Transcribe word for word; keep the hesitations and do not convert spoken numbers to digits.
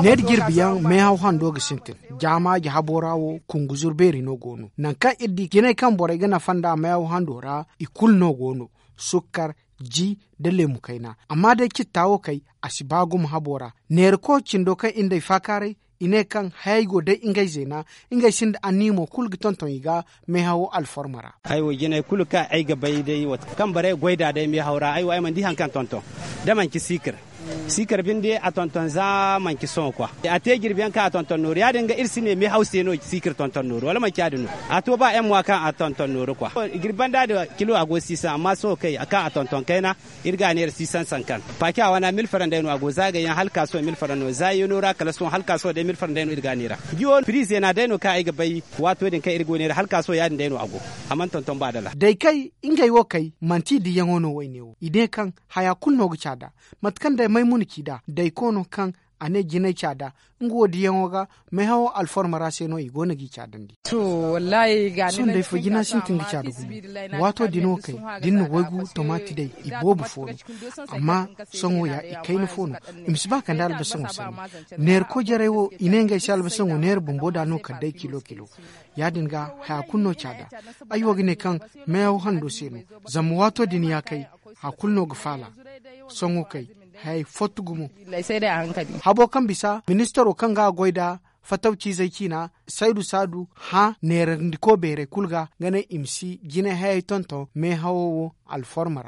Neera jirbi yaŋ meehaw hando ga sintin. Jaamaaji habo ra wo kunguzur beeri no go no nangu kaŋ iri di jinay kaŋ borey ga nafa nd'a meehaw hando ra i kulu no go no. Sukkar, ji, nda leemu kayna. Amma day citta wo kay, a si ba gumo habo ra. Neera ko cindo kaŋ iri n'ay faakaaray, i ne kaŋ hayey go day ngey zeena. Ngey sinda anniya mo kulu ga tonton i ga meehawo alforma ra. Ay wo jinay kulu kaŋ ay ga bay day wo kaŋ borey ga goy nd'a day meehaw ra ay wo ay mana di hari kaŋ tonton, da manci siikir. Siikir binde a tonton za manci sohõ kwa. A te jirbi yaŋ kaŋ a tonton nooru ya- din ga iri si ne meehaw se no siikir tonton nooru wala manci ya- din no. A to ba yaŋ mo a kaŋ a tonton nooru kwa. Jirbi banda din kilo a go siisan amma sohõ kay a kaŋ a tonton kayna, iri ga a neera siisan sankan. Paaci a wana mil faran day no a go za gay yaŋ hala ka sohõ mil faran no za yeeno ra kala sohõ hala ka sohõ day mil faran day no iri ga a neera. Ji wo pirize na day no kaŋ ay ga bay. Waato din kaŋ iri go neera hala ka sohõ ya- din day no a go. A mana tonton ba dala. Day kay ngey wo kay manti i diyaŋo no wayne wo i ne kaŋ haya kulu no ga caada. Mate kaŋ day maymuna ci nd'a day koono kaŋ a ne jinay caada, nga wo diyaŋo ga meehawo alforma ra se no i go no g'i caadandi. Sohõ day fo jina sintin ga caada gumo. Waato din wo kay da iri na waygu tomaati day i boobo fo no. Amma sohõ ya i kayna fo no. I ma si ba kande albasaŋo sanni. Neera koy jarey wo i ne ngey se albasaŋo neera bumbo nd'a no kala day kilo kilo. Ya- din ga haya kulu no caada. Ay wo ga ne kaŋ meehaw hando se no. Zama waato din ya kay haya kulu no ga faala. Sohõ kay hayey fottu gumo. Habo kaŋ bisa ministaro kaŋ ga a goy nd'a fatawciizey ciina saydu saadu hã neerandiko beerey kulu ga ga ne i ma si jinay hayey tonton meehawo wo alforma ra.